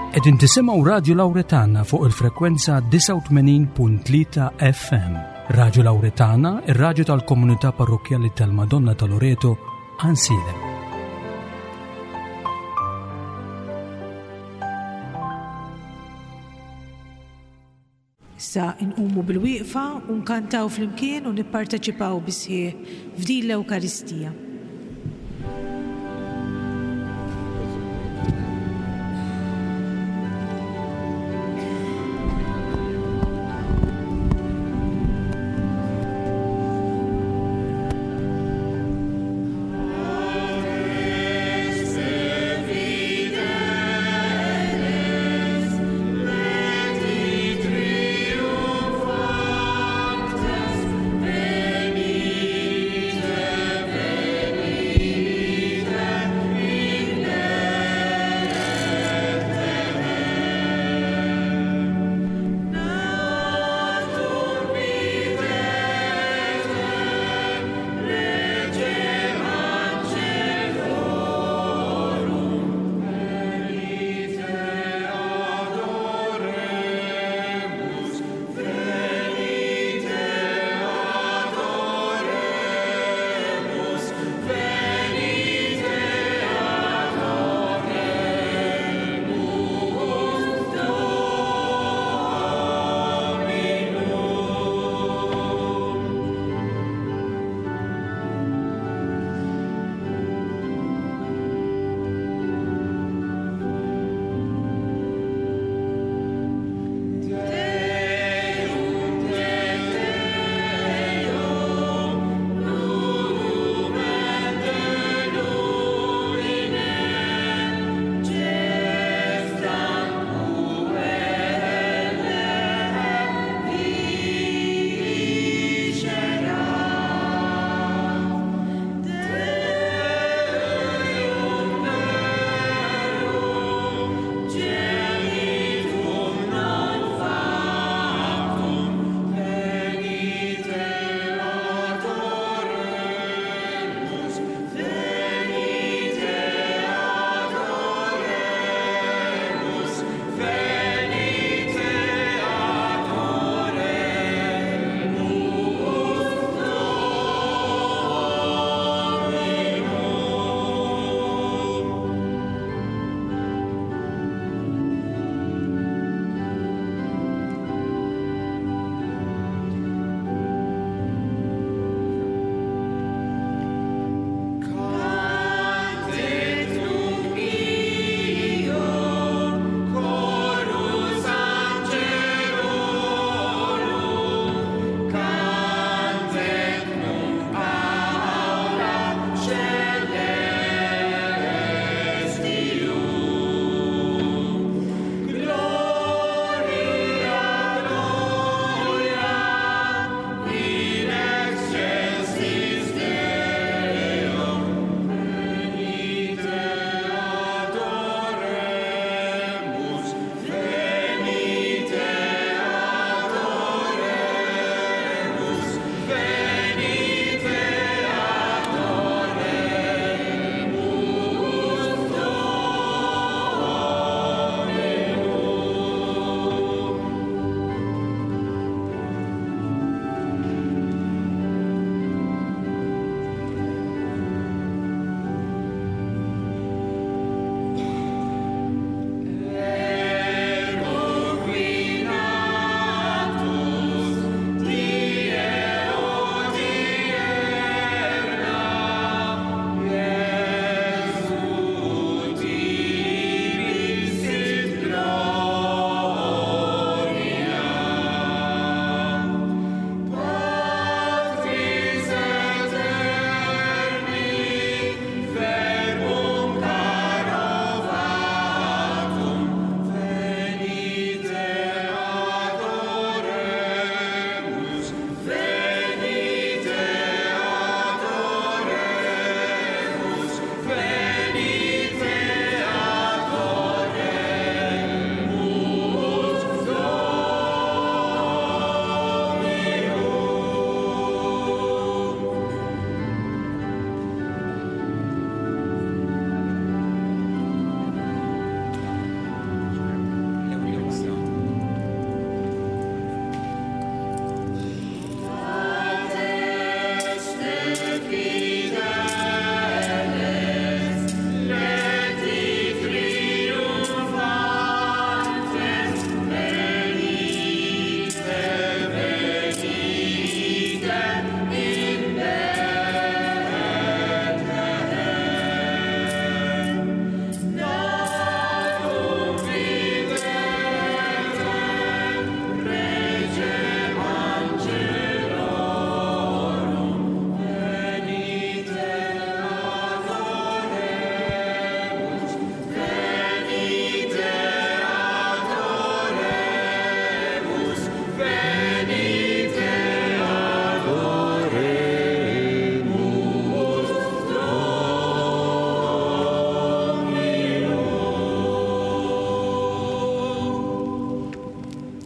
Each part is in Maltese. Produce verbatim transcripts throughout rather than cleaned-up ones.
Qegħdin tisimgħu Radio Lauretana fuq il-frekwenza disgħa u tmenin punt tlieta F M. Radio Lauretana, ir-radju tal-Komunità Parrokkjali tal-Madonna ta' Loreto, Għajnsielem. Issa nqumu bil-wieqfa u nkantaw flimkien u nipparteċipaw bis-sħiħ f'din l-Ewkaristija.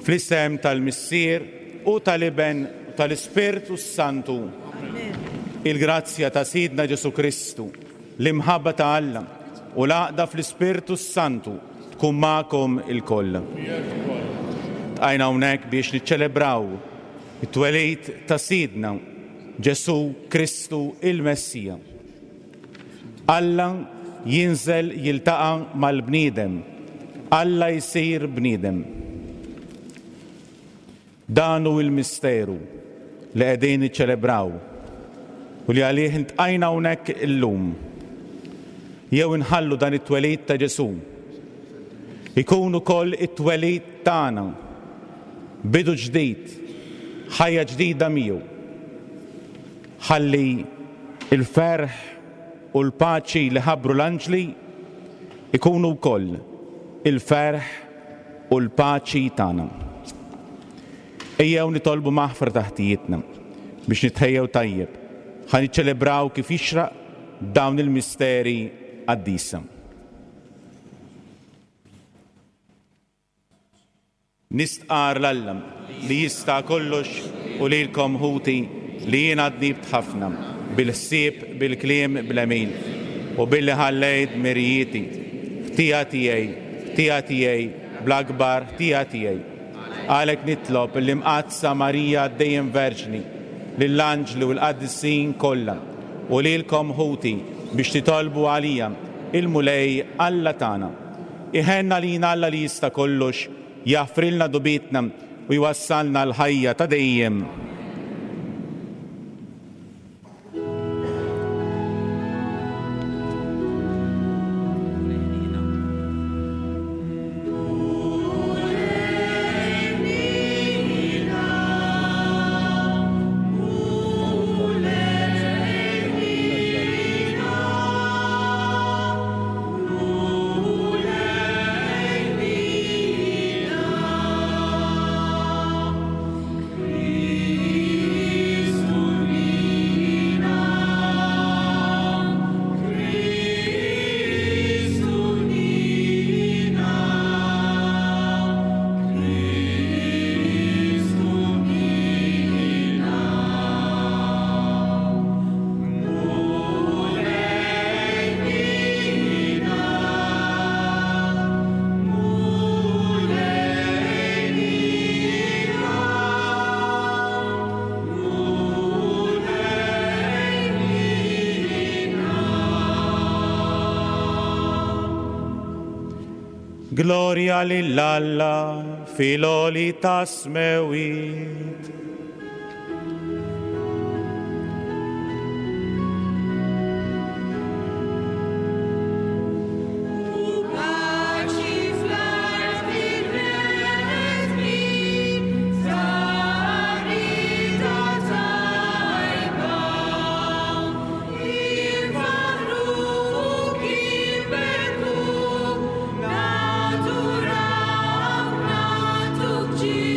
Fl-isem tal-Missier u tal-Iben u tal-Ispirtu Santu. Il-grazzja ta' Sidna Ġesu Kristu, l-imħabba ta' Alla u l-għaqda fl-Ispirtu Santu tkun magħkom ilkoll. Tqajna hawnhekk biex niċċelebraw it-twelid ta' Sidna Ġesu Kristu il-Messija. Alla jinżel jiltaqa' mal-bniedem, Alla jsir bniedem. Dan hu il-misteru li qegħdin niċċelebraw u li għalih intqajna hawnhekk illum. Jew inħallu dan it-twelid ta' Ġesu ikun ukoll it-twelid tagħna, bidu ġdid, ħajja ġdida miegħu. Ħalli il-ferħ u l-paċi li ħabbru l-anġli ikunu wkoll il-ferħ u l-paċi tagħna. Ejjew nitolbu maħfra ta' ħtijietna biex nitħejjew tajjeb ħa niċċelebraw kif jixraq dawn il-misteri qaddisa. Nistqar 'l Alla li jista' kollox u lilkom ħuti li jiena dnibt ħafna bil-ħsieb, bil-kliem, bl-għemil u billi ħallejt mirijieti, ħtija tiegħi, ħtija tiegħi, bl-akbar ħtija tiegħi. Għalhekk nitlob l-Imqaddsa Marija dejjem Verġni, lill-anġli u l-qaddisin kollha u lilkom ħuti biex titolbu għalija il-Mulej Alla tagħna. Iħenna lina Alla li jista' kollox, jaħfrilna dubitna u jwassalna l-ħajja ta' dejjem. Gloria lil Alla fil-għoli tas-smewwiet. U paċi fl-art bil-bnedmin ta' rida tajba. Infaħħruk, inberkuk, nadurawk, nagħtuk ġieħ.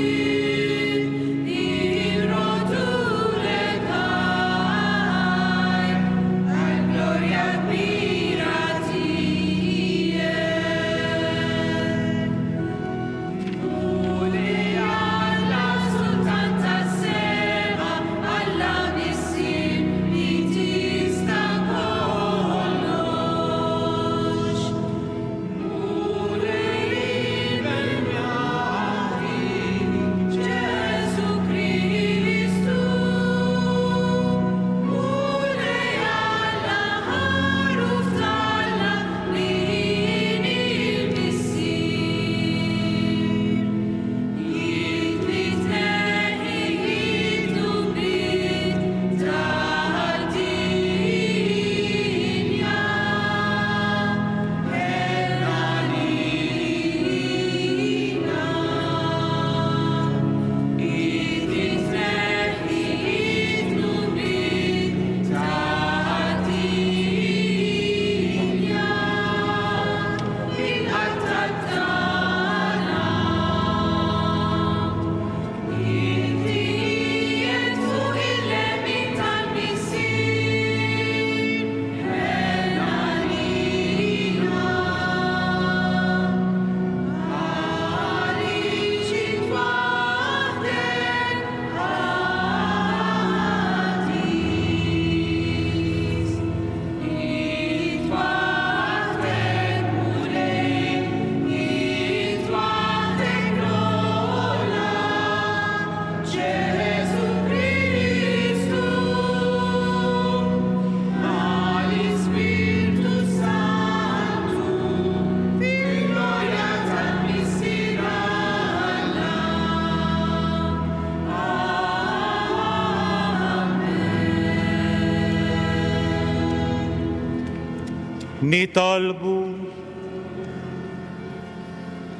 Nitolbu.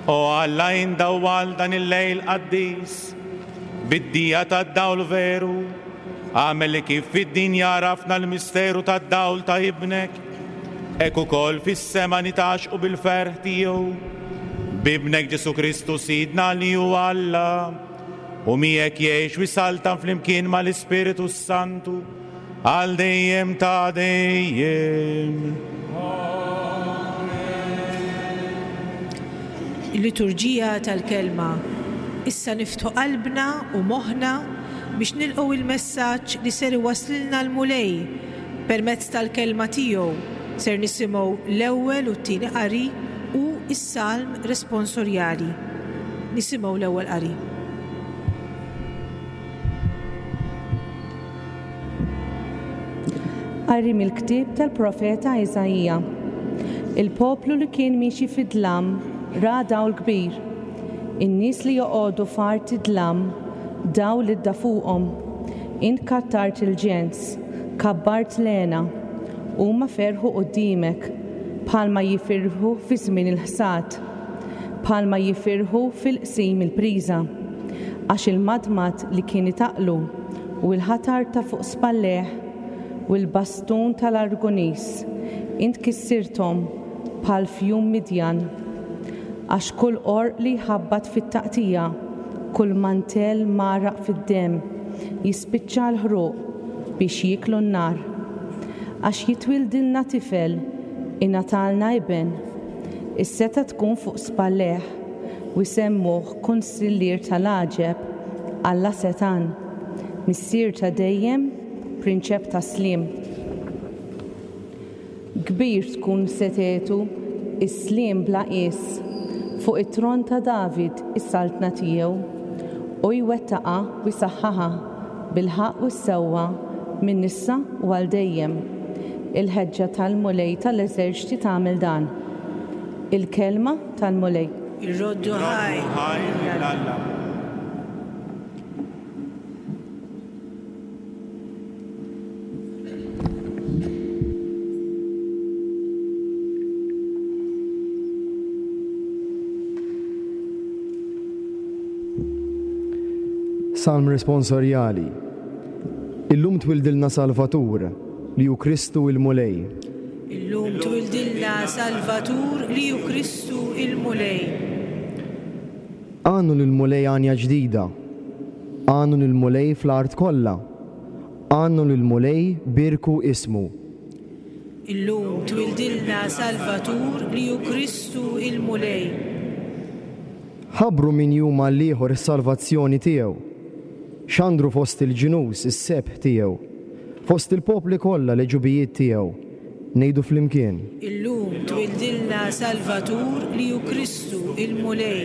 O Alla, indawwal dan il-lejl qaddis bid-dija tad-dawl veru, għamel li kif fid-dinja għarafna l-misteru tad-dawl ta' ibnek, hekk ukoll fis-sema nitgħaxqu bil-ferħ tiegħu. B'ibnek Ġesù Kristu Sidna li hu Alla, u miegħek jgħix u jsaltan flimkien mal-Ispiritu Santu għal dejjem ta' dejjem. Il-liturġija tal-kelma. Issa niftħu qalbna u moħħna biex nilqgħu il-messaġġ li ser iwaslilna l-Mulej permezz tal-kelma tiegħu. Ser nisimgħu l-ewwel u t-tieni qari u s-salm responsorjali. Nisimgħu l-ewwel qari. Qari mill-ktieb tal-profeta Iżaija. Il-poplu li kien miexi fid-dlam ra dawl kbir. In-nies li joqogħdu f'art id-dlam dawl idda fuqhom. Int kattart il-ġens, kabbart l-hena, huma ferħu quddiemek bħalma jifirħu fi żmien il-ħsad, bħalma jifirħu fil-qsim il-priża. Għax il-madmad li kien itaqlu u l-ħatar ta' fuq spalleh u l-bastun tal-Argunis, int kissirthom bħal fjum Midjan. Għax kull qorq li jħabbat fit-taqtija, kull mantell maraq fid-demm, jispiċċa l-ħruq biex jieklu n-nar. Għax jitwildilna tifel, ingħatalna iben, is-seta tkun fuq spalleh, u jsemmuh kunsillier tal-għaġeb, Alla setan, missier ta' dejjem, prinċep ta' sliem. Kbir tkun setetu, is-sliem bla qies, fuq it-tron ta' David is-saltna tiegħu, u jwettaqha u jsaħħaha bil-ħaqq u s-sewwa minn issa u għal dejjem. Il-ħeġġa tal-Mulej tal-eżerċti tagħmel dan. Il-kelma tal-Mulej. Irroddu ħaj. Ħaj lil Alla. Salm responsorjali. Illum twildilna Salvatur li hu Kristu il-Mulej. Illum twildilna Salvatur li hu Kristu il-Mulej. Għannu lill-Mulej għanja ġdida. Għannu lill-Mulej fl-art kollha. Għannu lill-Mulej birku ismu. Illum twildilna Salvatur li hu Kristu il-Mulej. Ħabbru min jum għall-ieħor is-salvazzjoni tiegħu. Xandru fost il-ġnus is-sebħ tiegħu. Fost il-popli kollha l-ġubijiet tiegħu. Ngħidu flimkien. Illum twildilna Salvatur li hu Kristu il-Mulej.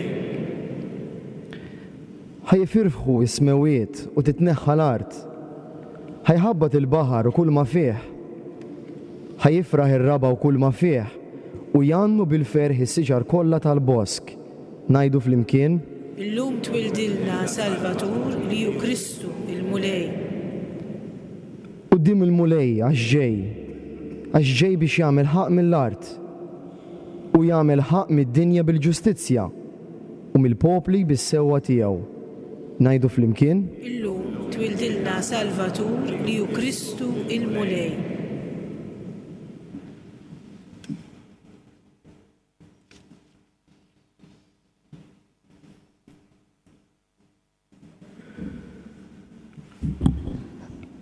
Ħajfirħu s-smewwiet u titneħħa l-art. Ħajħabbat il-baħar u kull ma fih. Ħajifraħ ir-raba u kull ma fih u jgħannu bil-ferħ is-siġar kollha tal-bosk. Ngħidu flimkien. Illum twildilna Salvatur li hu Kristu il-Mulej. Quddiem il-Mulej għax ġej, għax ġej biex jagħmel ħaqq mill-art u jagħmel ħaqq mid-dinja bil-ġustizzja u mill-popli bis-sewwa tiegħu. Ngħidu flimkien. Illum twildilna Salvatur li hu Kristu il-Mulej.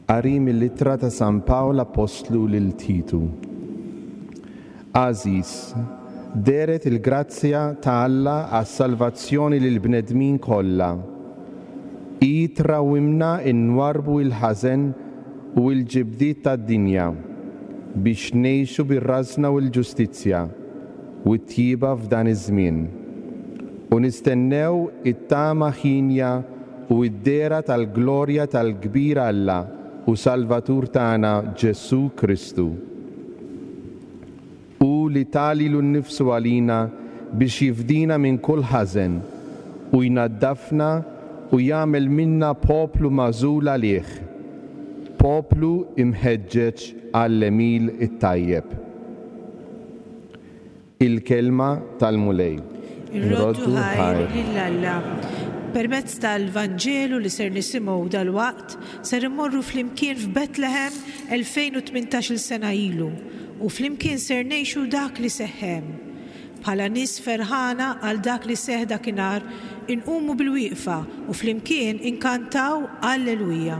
Qari mill-ittra ta' San Pawl Apostlu lil Titu. Għażiż, dehret il-grazzja ta' Alla għas-salvazzjoni lil bnedmin kollha. Hi trawwimna nwarrbu il-ħażen u l-ġibdiet tad-dinja biex ngħixu bir-rażna u l-ġustizzja u t-tjieba f'dan iż-żmien. U nistennew it-tama ħinja u d-dehra tal-glorja tal-kbir Alla u Salvatur tagħna Ġesù Kristu. U li ta lilu nnifsu għalina biex jifdina minn kull ħażen u jnaddafna u jagħmel minna poplu magħżul għalih, poplu imħeġġeġ għall-għemil it-tajjeb. Il-kelma tal-Mulej. Irroddu ħajr lil Alla. Permezz tal-Vanġelu li ser nisimgħu dalwaqt, ser immorru flimkien f'Betlehem elfejn u tmintax-il sena ilu u flimkien ser ngħixu dak li seħħem. Bħala nies ferħana għal dak li seħ dakinhar, inqumu bil-wieqfa u flimkien inkantaw Alleluja.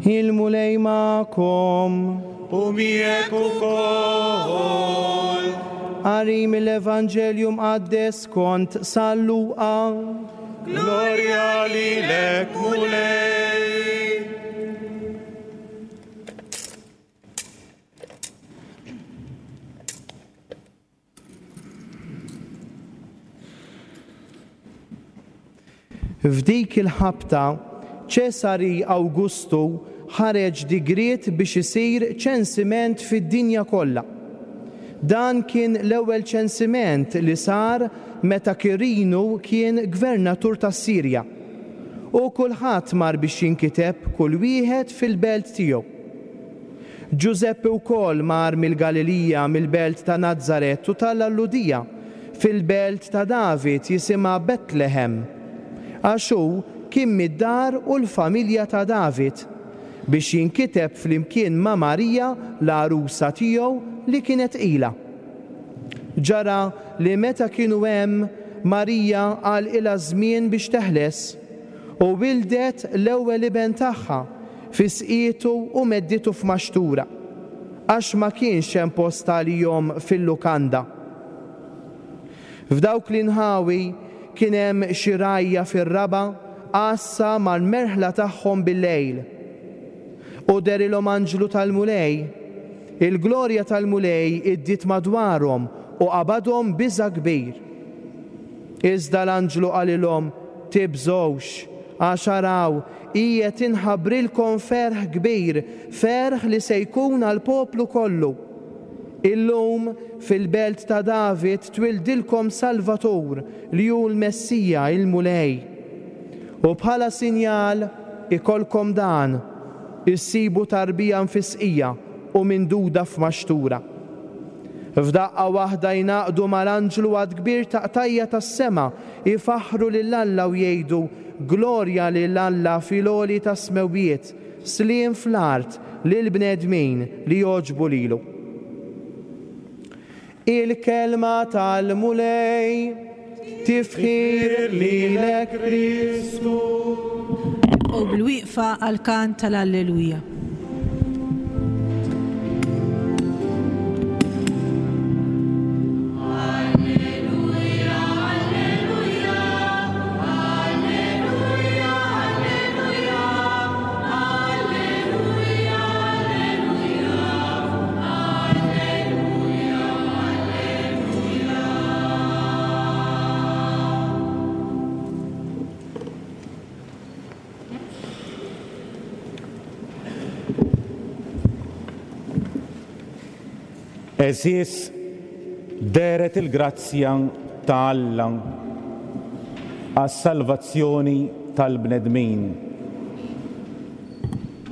Il-Mulej magħkom. U miegħek ukoll. Qari mill-Evanġelju mqaddes kont San Luqa. Glorja lilek, Mulej. F'dik il-ħabta Ċesari Awgustu ħareġ digriet biex isir ċensiment fid-dinja kollha. Dan kien l-ewwel ċensiment li sar meta Kirinu kien gvernatur tas-Sirja. U kulħadd mar biex jinkiteb kull wieħed fil-belt tiegħu. Ġużeppi wkoll mar mill-Galilija, mill-belt ta' Nazaret u tal-Ludija, fil-belt ta' David jisimha Betlehem. Għax hu kien mid-dar u l-familja ta' David, biex jinkiteb flimkien ma' Marija l-għarusa tiegħu li kienet tqila. Ġara li meta kienu hemm, Marija għalqilha żmien biex teħles u wildet l-ewwel iben tagħha fi sqietu u medditu f'maxtura, għax ma kienx hemm post għalihom fil-lukanda. F'dawk l-inħawi kien hemm xi rgħajja fir-raba' għassa mal-merħla tagħhom bil-lejl. U derilhom anġlu tal-Mulej, il-glorja tal-Mulej iddiet madwarhom u qabadhom biża' kbir. Iżda l-anġlu qalilhom, tibżgħux, għax araw, qiegħed inħabbrilkom ferħ kbir, ferħ li se jkun għall-poplu kollu. Illum fil-belt ta' David twildilkom Salvatur li hu l-Messija, il-Mulej. U bħala sinjal ikolkom dan, issibu tarbija mfisqija u minduda f'maxtura. F'daqqa waħda jnaqdu mal-anġlu għad kbir ta' qtajja tas-sema, ifaħħru lil Alla u jgħidu, Glorja lil Alla fil-għoli tas-smewwiet, sliem fl-art lil bnedmin li jogħġbu lilu. Il-kelma tal-Mulej, tifħir lilek Kristu. U bil-wieqfa għall-kant tal-Alleluja. Eżis deret il-grazzja ta' Alla għas-salvazzjoni tal-bnedmin.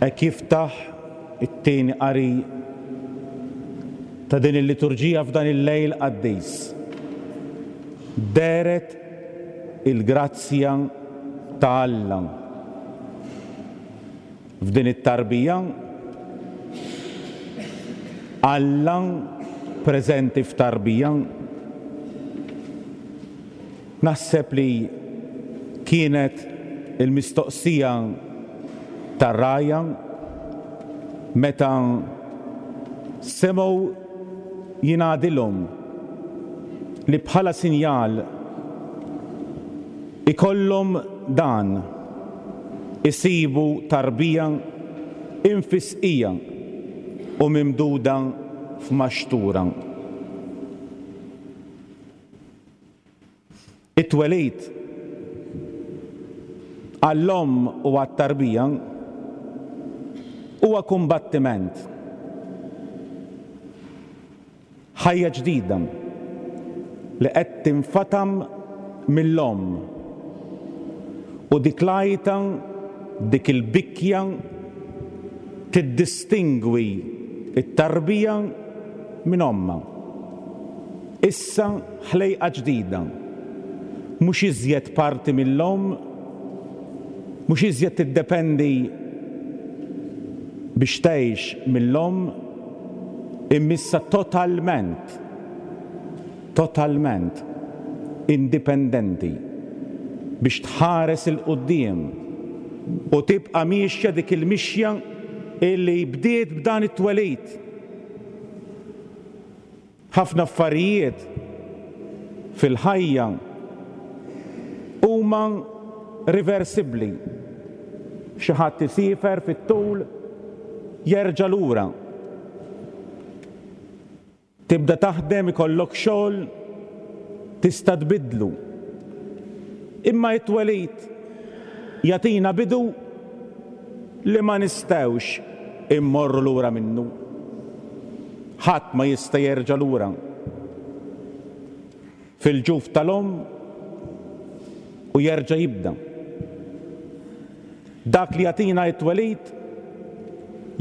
E kif taħ it-tieni qari ta' din il-liturġija f'dan il-lejl qaddis. Deret il-grazzja ta' Alla. F'din it-tarbija Alla preżenti f'tarbija? Naħseb li kienet il-mistoqsija tar-rgħajja meta semgħu jingħadilhom li bħala sinjal ikollhom dan isibu tarbija infisqija u mimduda f'maxtura. It-twelid għall-omm u għat-tarbija huwa kumbattiment. Ħajja ġdida li qed tinfatam mill-omm u dik l-għajta, dik il-bikja tiddistingwi t-tarbija minn ommha. Issa ħlejqa ġdida, mhux iżjed parti mill-omm, mhux iżjed tiddependi biex tgħix mill-omm, imma issa totalment, totalment indipendenti biex tħares il-quddiem u tibqa' miexja dik il-mixja illi bdiet b'dan it-twelid. Ħafna affarijiet fil-ħajja huma riversibbli. Xi ħadd isiefer fit-tul jerġa' lura. Tibda taħdem, ikollok xogħol, tista' tbiddlu. Imma it-twelid jagħtina bidu li ma nistgħux immorru lura minnu. Ħadd ma jista' jerġa' lura. Fil-ġuf tal-omm u jerġa' jibda. Dak li jagħtina t-twelid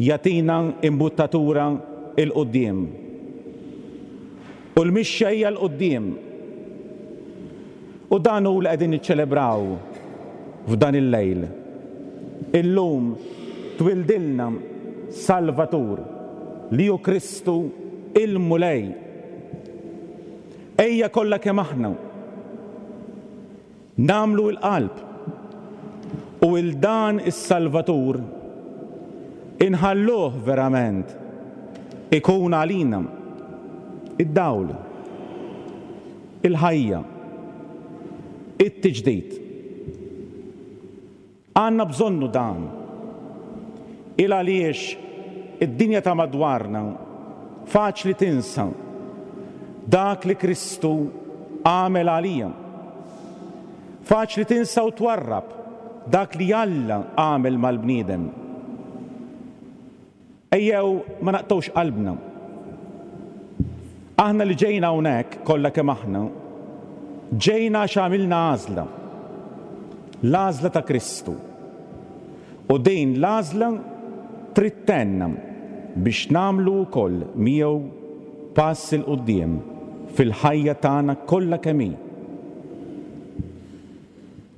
jagħtina imbuttatura 'l quddiem. U l-mixja hija 'l quddiem. U dan hu li qegħdin niċċelebraw f'dan il-lejl. Illum twildilna Salvatur li hu Kristu il-Mulej. Ejja kollha kemm aħna nagħmlu l-qalb u il dan is-Salvatur inħalluh verament ikun għalina id-dawl, il-ħajja, it-tiġdid. Għandna bżonnu dan. Il għaliex id-dinja ta' madwarna faċli tinsa dak li Kristu għamel għalija. Faċli tinsa u twarrab dak li Alla għamel mal-bniedem. Ejjew ma naqtgħux qalbna. Aħna li ġejna hawnhekk kollha kemm aħna, ġejna għax għamilna għażla. L-għażla ta' Kristu. U din l-għażla trid tgħinna biex nagħmlu wkoll miegħu pass 'il quddiem fil-ħajja tagħna kollha kemm hi.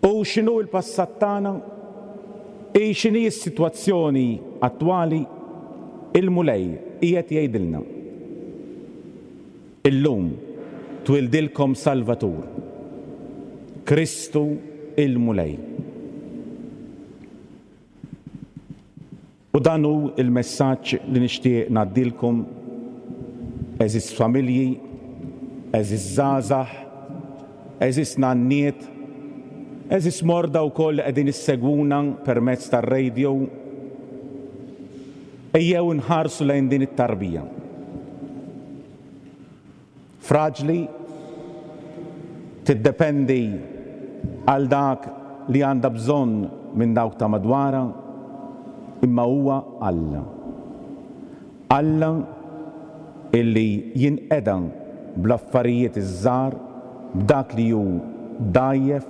U x'inhu l-passat tagħna? I x'inhi s-sitwazzjoni attwali? Il-Mulej qiegħed jgħidilna. Illum twildilkom Salvatur, Kristu il-Mulej. U dan hu il-messaġġ li nixtieq ngħaddilkom, għeżież familji, għeżież żgħażagħ, għeżież nanniet, għeżież morda wkoll li qegħdin issegwuna permezz tar-radio. Ejjew nħarsu lejn din it-tarbija. Fraġli, tiddependi għal dak li għandha bżonn minn dawk ta' madwarha, imma huwa Alla. Alla illi jinqeda bl-affarijiet iż-żgħar, b'dak li hu dgħajjef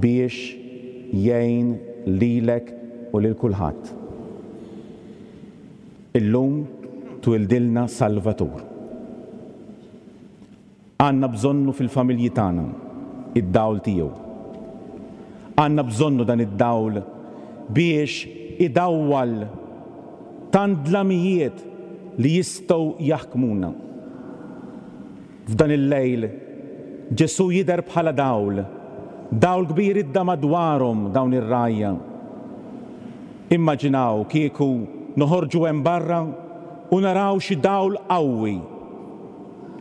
biex jgħin lilek u lil kulħadd. Illum twildilna Salvatur. Għandna bżonnu fil-familji tagħna id-dawl tiegħu. Għandna bżonnu dan id-dawl biex idawwal tant dlamijiet li jistgħu jaħkmuna. F'dan il-lejl Ġesù jidher bħala dawl, dawl kbir idda madwarhom dawn ir-rgħajja. Immaġinaw kieku noħorġu hemm barra u naraw xi dawl qawwi.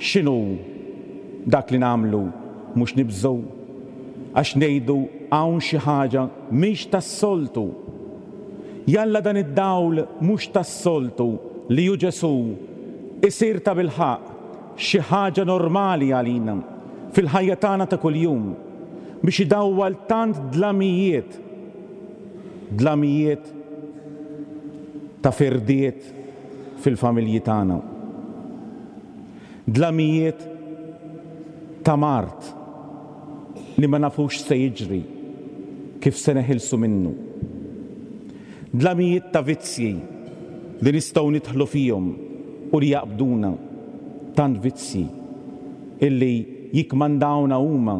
X'inhu dak li nagħmlu? Mhux nibżgħu għax ngħidu hawn xi ħaġa mhix tas-soltu. Jalla dan id-dawl mhux tas-soltu li hu Ġesù isir tabilħaqq xi ħaġa normali għalina fil-ħajja tagħna ta' kuljum biex idawwal tant dlamijiet, dlamijiet ta' firdiet fil-familji tagħna, dlamijiet ta' mard li ma nafux se jiġri kif se neħilsu minnu, dlamijiet ta' vizzji li nistgħu nidħlu fihom u li jaqbduna, tant vizzji illi jikmandawna huma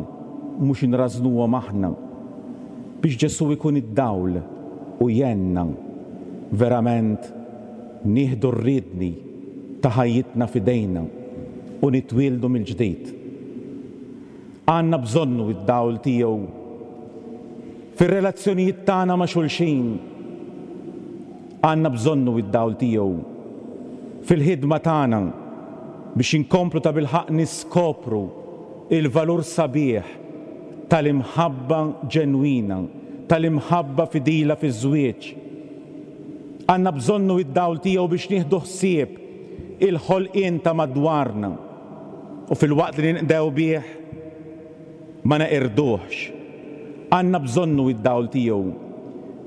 mhux inrażnuhom aħna, biex Ġesù ikun id-dawl u jgħinna verament nieħdu r-riedni ta' ħajjitna f'idejna u nitwieldu mill-ġdid. Għandna bżonnu id-dawl tiegħu fir-relazzjonijiet tagħna ma' xulxin. Għandna bżonnu id-dawl tiegħu fil-ħidma tagħna biex inkomplu tabilħaqq niskopru il-valur sabiħ tal-imħabba ġenwina, tal-imħabba fidila fiż-żwieġ. Għandna bżonnu id-dawl tiegħu biex nieħdu ħsieb il-ħolqien ta' madwarna u fil-waqt li ninqdew bih ma neqirduhx. Għandna bżonnu id-dawl tiegħu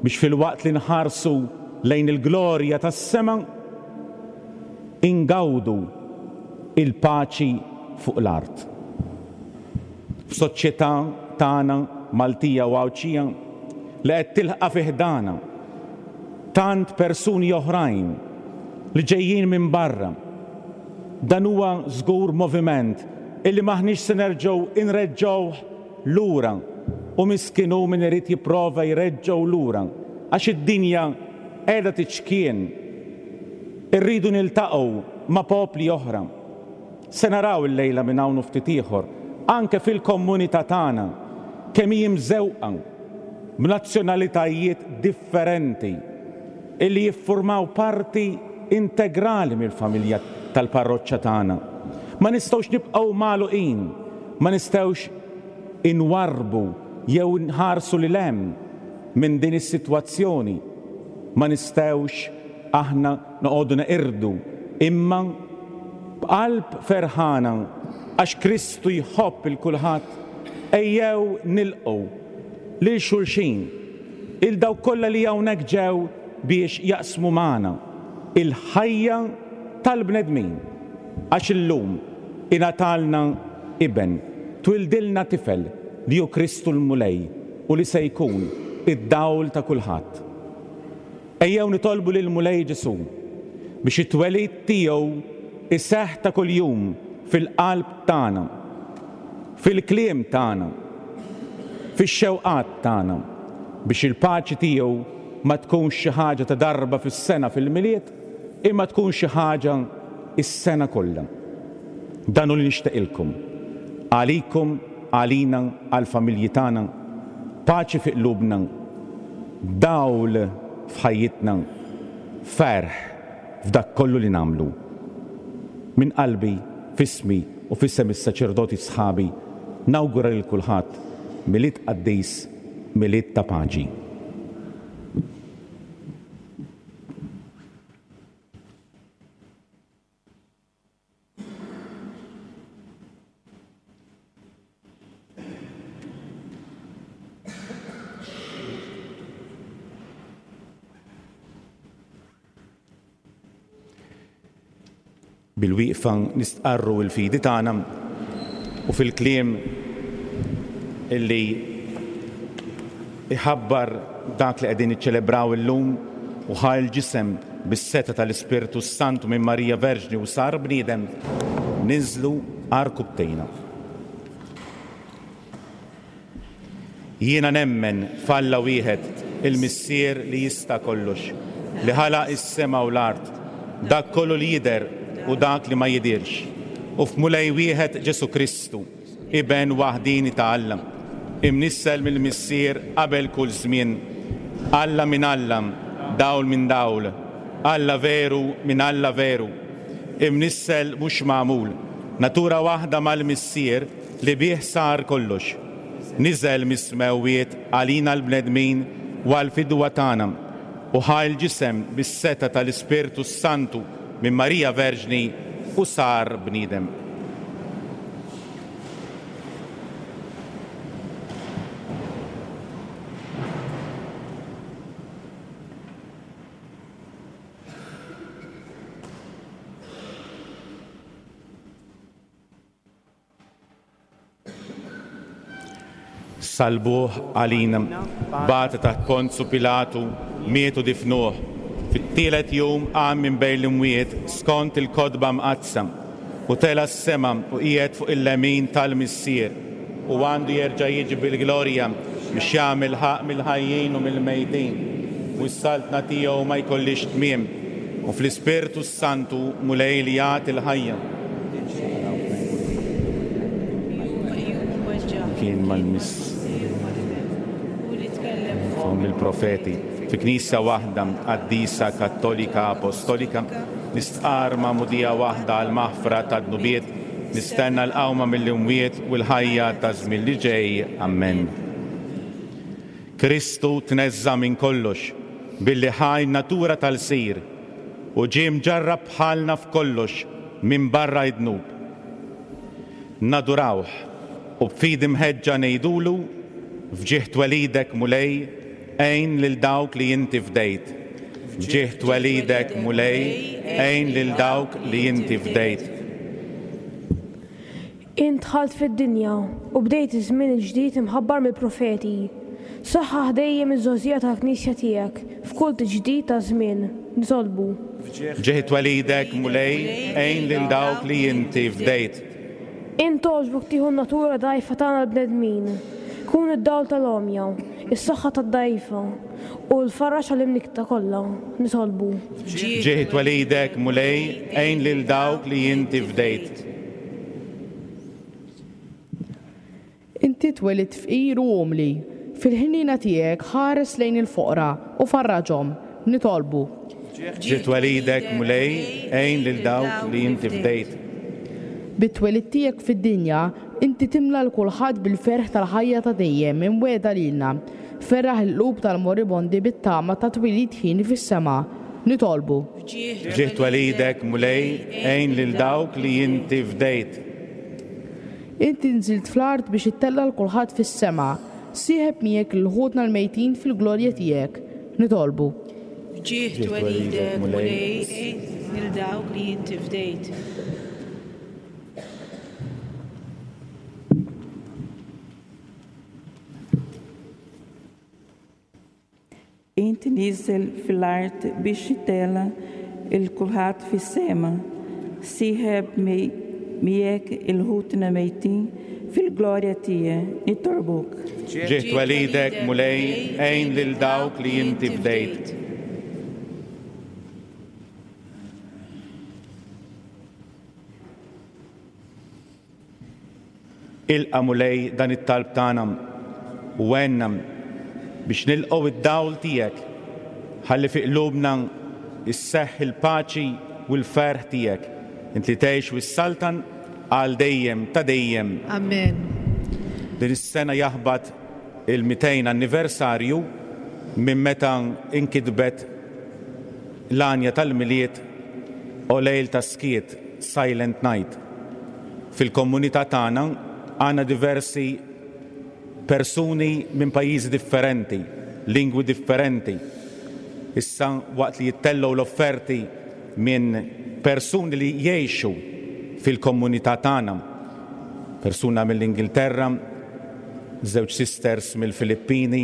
biex fil-waqt li nħarsu lejn il-glorja tas-sema ingawdu il-paċi fuq l-art. F'soċjetà tagħna Maltija u Għawdxija li qed tilqa' fi ħdana tant persuni oħrajn li ġejjin minn barra. Dan huwa żgur moviment illi maħniex se nerġgħu inreġġgħuh lura u miskin hu min irid jipprova jreġġgħu lura għax id-dinja qiegħda tiċkien. Irridu niltaqgħu ma' popli oħra. Se naraw illejla minn hawn u ftit ieħor anke fil-komunità tagħna kemm hi mżewqa b'nazzjonalitajiet differenti illi jiffurmaw parti integrali mill-familja tal-parroċċa tagħna. Ma nistgħux nibqgħu magħluqin, ma nistgħux inwarrbu jew nħarsu lil hemm minn din is-sitwazzjoni. Ma nistgħux aħna noqogħdu neqirdu, imma b'qalb ferħana għax Kristu jħobb il kulħadd, ejjew nilqgħu lil xulxin, il dawk kollha li hawnhekk ġew biex jaqsmu magħna il-ħajja tal-bnedmin, għax illum ingħatalna iben, twildilna tifel li hu Kristu l-Mulej u li se jkun id-dawl ta' kulħadd. Ejjew nitolbu lil Mulej Ġesù biex it-twelid tiegħu iseħħ ta' kuljum fil-qalb tagħna, fil-kliem tagħna, fix-xewqat tagħna, biex il-paċi tiegħu ma tkunx xi ħaġa ta' darba fis-sena fil-Milied, imma tkun xi ħaġa is-sena kollha. Dan hu li nixtieqilkom, għalikom, għalina, għall-familji tagħna, paċi fi qlubna, dawl f'ħajjitna, ferħ f'dak kollu li nagħmlu. Minn qalbi, f'ismi u f'isem is-saċerdoti sħabi, nawgura lil kulħadd Milied qaddis, Milied ta' paċi. Bil-wieqfa nistqarru l-fidi tagħna u fil-kliem illi iħabbar dak li qegħdin niċċelebraw illum u ħa l-ġisem bis-seta tal-Ispirtu Santu minn Marija Verġni u sar bniedem, ninżlu għarkubbtejna. Jiena nemmen f'Alla wieħed, il-Missier li jista' kollox, li ħalaq is-sema u l-art, dak kollu li jidher u dak li ma jidirx, u f'Mulej wieħed Ġesù Kristu, Iben waħdini ta' Alla, imnissel mill-Missier qabel kull żmien, Alla minn Alla, dawl minn dawl, Alla veru minn Alla veru, imnissel mhux magħmul, natura waħda mal-Missier li bih sar kollox. Niżel mis-smewwiet għalina l-bnedmin u għall-fidwa tagħna, u ħa l-ġisem bis-seta tal-Ispirtu Santu minn Marija Verġni u sar bniedem. Salbuh għalina, bata taħt Ponzu Pilatu, mietu difnuh. Fit-tielet jum qam minn bejn l-imwiet skont il-kotba mqaddsa, u tela s-sema u qiegħed fuq il-lemin tal-Missier, u għandu jerġa' jiġi bil-glorja biex jagħmel ħaqq mill-ħajjin u mill-mejtin, u s-saltna tiegħu ma jkollix tmiem, u fl-Ispirtu s-Santu Mulej li jagħti l-ħajja. Kien mal-miss mill-profeti, fi knisja waħda qaddisa kattolika apostolika, nistqar magħmudija waħda għal maħfra ta' dnubiet, nistenna l-qawma mill-imwiet u l-ħajja ta' żmien li ġej. Amen. Kristu tneżża minn kollox billi ħa n-natura tal-sir u ġie mġarrab bħalna f'kollox minn barra id-dnub. Nadurawh u b'fidi mħeġġa ngħidulu: f'ġieħ twelidek Mulej, għin lil dawk li inti fdejt. F'ġieħ twelidek Mulej, għin lil dawk li inti fdejt. Int dħalt fid-dinja u bdejt iż-żmien il-ġdid imħabbar mill-profeti. Saħħaħ dejjem iż-żgħożija tal-Knisja tiegħek f'kull tiġdid ta' żmien. Nitolbu. F'ġieħ twelidek Mulej, għin lil dawk li inti fdejt. Int togħġbok tieħu n-natura dgħajfa tagħna l-bnedmin. Kun id-dawl tal-għomja, is-saħħa tad-dgħajfa u l-faraġ għall-imnikta kollha. Nitolbu. F'ġieħ twelidek Mulej, għin lil dawk li inti fdejt. Inti twelidt fqir u umli, fil-ħniena tiegħek ħares lejn il-foqra u farraġhom. Nitolbu. F'ġieħ twelidek Mulej, għin lil dawk li inti fdejt. Bit-twelid tiegħek fid-dinja, inti timla l kulħadd bil-ferħ tal-ħajja ta' dejjem imwiegħda lilna. Ferraħ il-qlub tal-moribondi bit-tama ta' twelid ħin fis-sema. Nitolbu. F'ġieħ twelidek Mulej, għin lil dawk li inti fdejt. Inti nżilt fl-art biex ittella' l kulħadd fis-sema. Sieħeb miegħek lil ħutna l-mejtin fil-glorja tiegħek. Nitolbu. F'ġieħ twelidek Mulej, għin lil dawk li inti fdejt. Inti niżel fil-art biex ittella' il kulħadd fis-sema. Sieħeb miegħek il-ħutna mejtin fil-glorja tiegħek. Nitolbuk. F'ġieħ twelidek Mulej, għin lil dawk li inti fdejt. Ilqa' Mulej dan it-talb tagħna u għenna biex nilqgħu id-dawl tiegħek, ħalli fi qlubna isseħħ il-paċi u l-ferħ tiegħek, int li tgħix u s-saltan għal dejjem ta' dejjem. Amen. Din is-sena jaħbat il-mitejn anniversarju minn meta inkitbet l-għanja tal-Milied o lejl ta' skiet, Silent Night. Fil-komunità tagħna għandna diversi persuni minn pajjiżi differenti, lingwi differenti. Issa waqt li jittellgħu l-offerti minn persuni li jgħixu fil-komunità tagħna, persuna mill-Ingilterra, żewġ sisters mill-Filippini,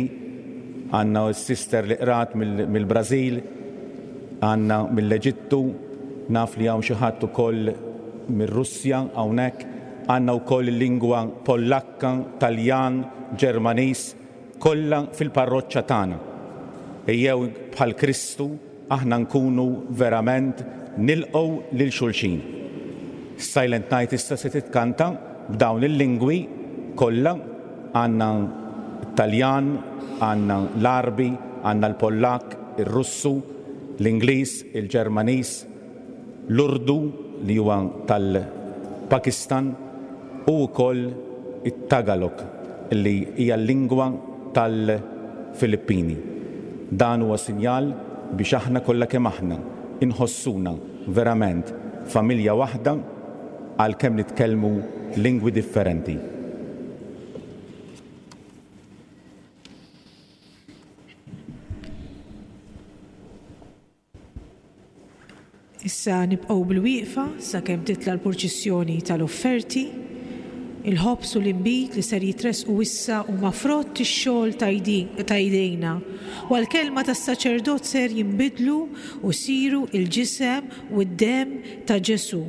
għandna s-sister li qrat mill-Brażil, għandna mill-Eġittu, naf li hawn xi ħadd ukoll mir-Russja hawnhekk, għandna wkoll il-lingwa Pollakka, Taljan, Ġermaniż, kollha fil-parroċċa tagħna. Ejjew bħal Kristu aħna nkunu verament nilqgħu lil xulxin. Silent Night issa se titkanta b'dawn il-lingwi kollha, għandna Taljan, għandna l-Arbi, għandna l-Pollak, ir-Russu, l-Ingliż, il-Ġermaniż, l-Urdu li huwa tal-Pakistan u wkoll it-Tagalog li hija l-lingwa tal-Filippini. Dan huwa sinjal biex aħna kollha kemm aħna inħossuna verament familja waħda għalkemm nitkellmu lingwi differenti. Issa nibqgħu bil-wieqfa sakemm titla' l-purċissjoni tal-offerti. Il-ħobż u l-inbid li ser jitresqu issa huma frott ix-xogħol ta' jdejna. U għall-kelma tas-saċerdot ser jinbidlu u jsiru il-ġisem u d-demm ta' Ġesù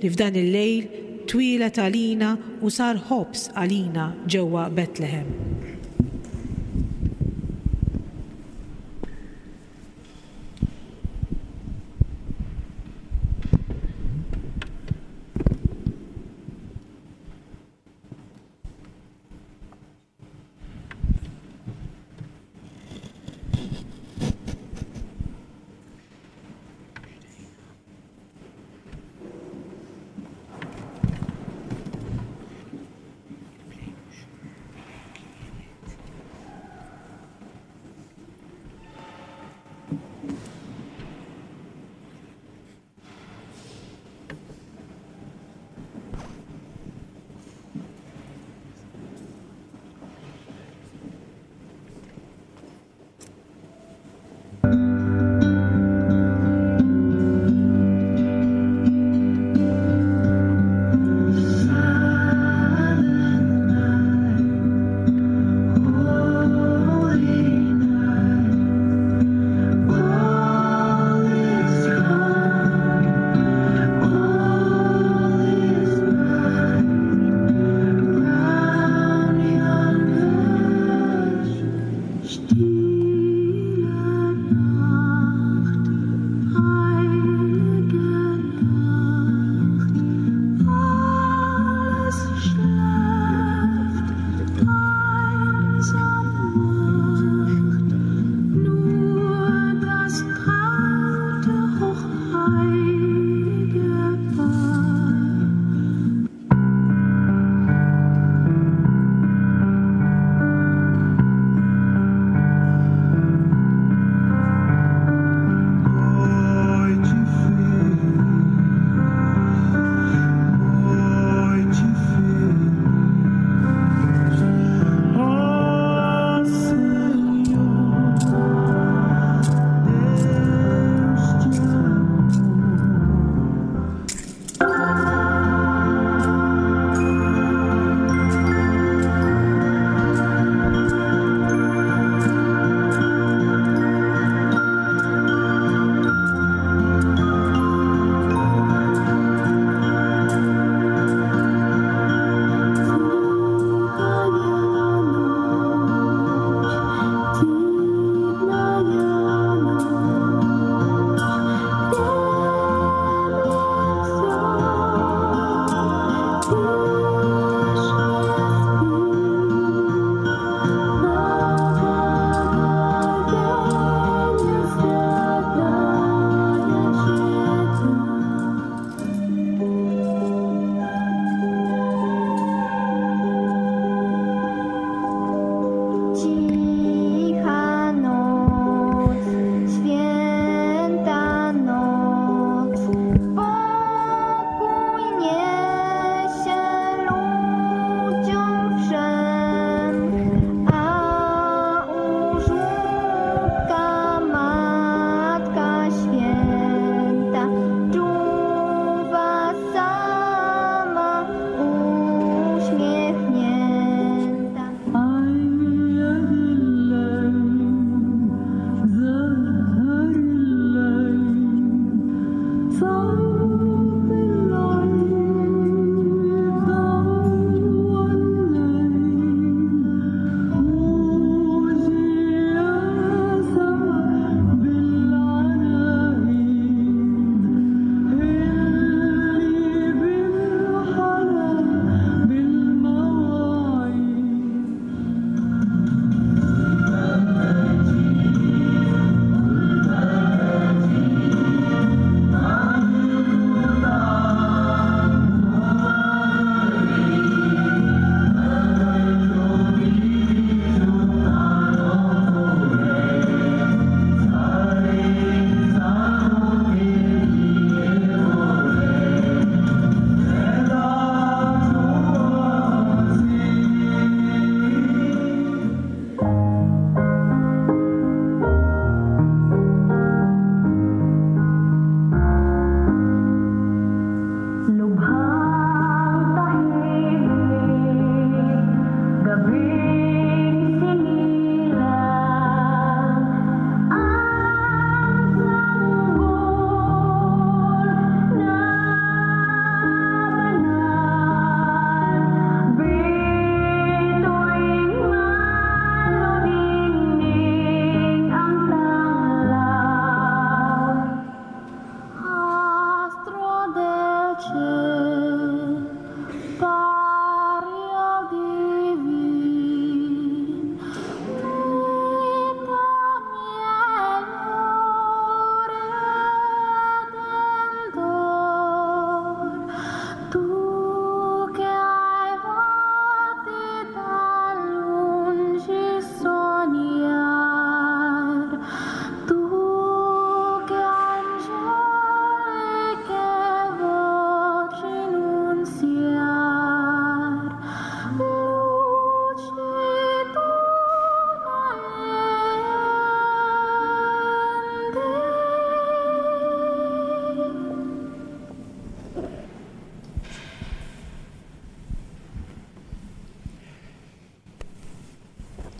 li f'dan il-lejl twieled għalina u sar ħobż għalina ġewwa Betlehem.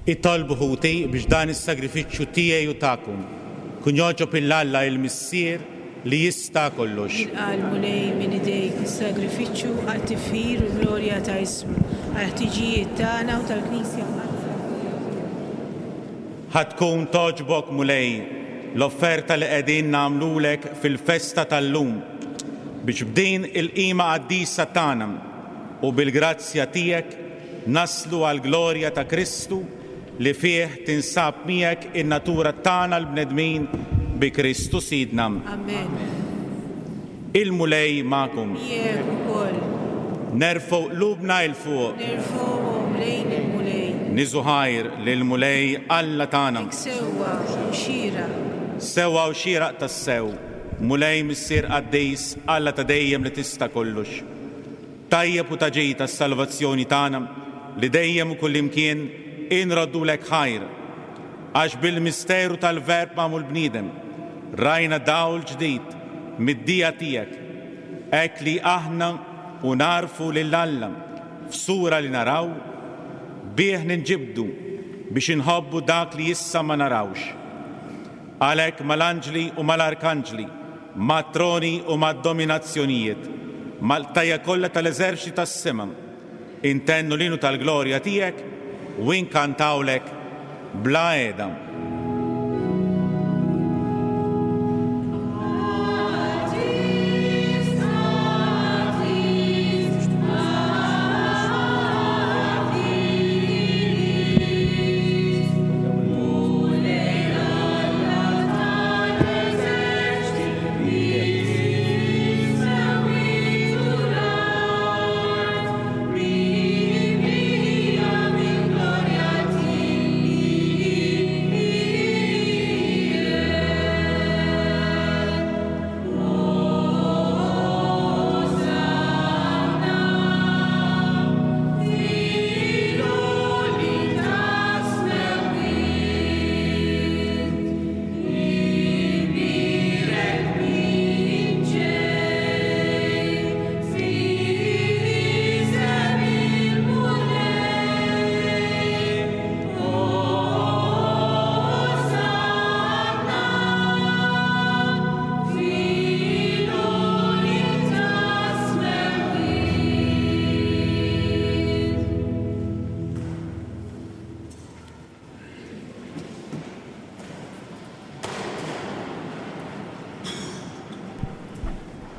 Itolbu ħuti biex dan is-sagrifiċċju tiegħi u tagħkom kun jogħġob lil Alla il-Missier li jista' kollox. Jilqa' l-Mulej minn idejk is-sagrifiċċju għat-tifħir u glorja ta' ismu, għall-ħtiġijiet tagħna u tal-Knisja Mqaddsa. Ħa tkun togħġbok Mulej l-offerta li qegħdin nagħmlulek fil-festa tal-lum biex b'din il-qima qaddisa tagħna u bil-grazzja tiegħek naslu għall-glorja ta' Kristu li fih tinsab miegħek in-natura tagħna l-bnedmin bi Kristu Sidna. Amen. Il-Mulej magħkom. Miegħek ukoll. Nerfgħu qlubna 'l fuq. Nerfgħuhom lejn il-Mulej. Niżżu ħajr lill-Mulej Alla tagħna. Hekk sewwa u xieraq. Sewwa u xieraq tassew, Mulej Missier Qaddis, Alla ta' dejjem li tista' kollox. Tajjeb u ta' ġid tas-salvazzjoni tagħna li dejjem u kullimkien inroddulek ħajr, għax bil-misteru tal-Verb magħmul bniedem rajna dawl ġdid mid-dija tiegħek, hekk li aħna u narfu lil Alla f'sura li naraw, bih ninġibdu biex inħobbu dak li issa ma narawx. Għalhekk mal-anġli u mal-arkanġli, mat-troni u mad-dominazzjonijiet, mal-qtajja kollha tal-eżerċti tas-sema, intennu l-innu tal-glorja tiegħek u inkantawlek bla qiegħda.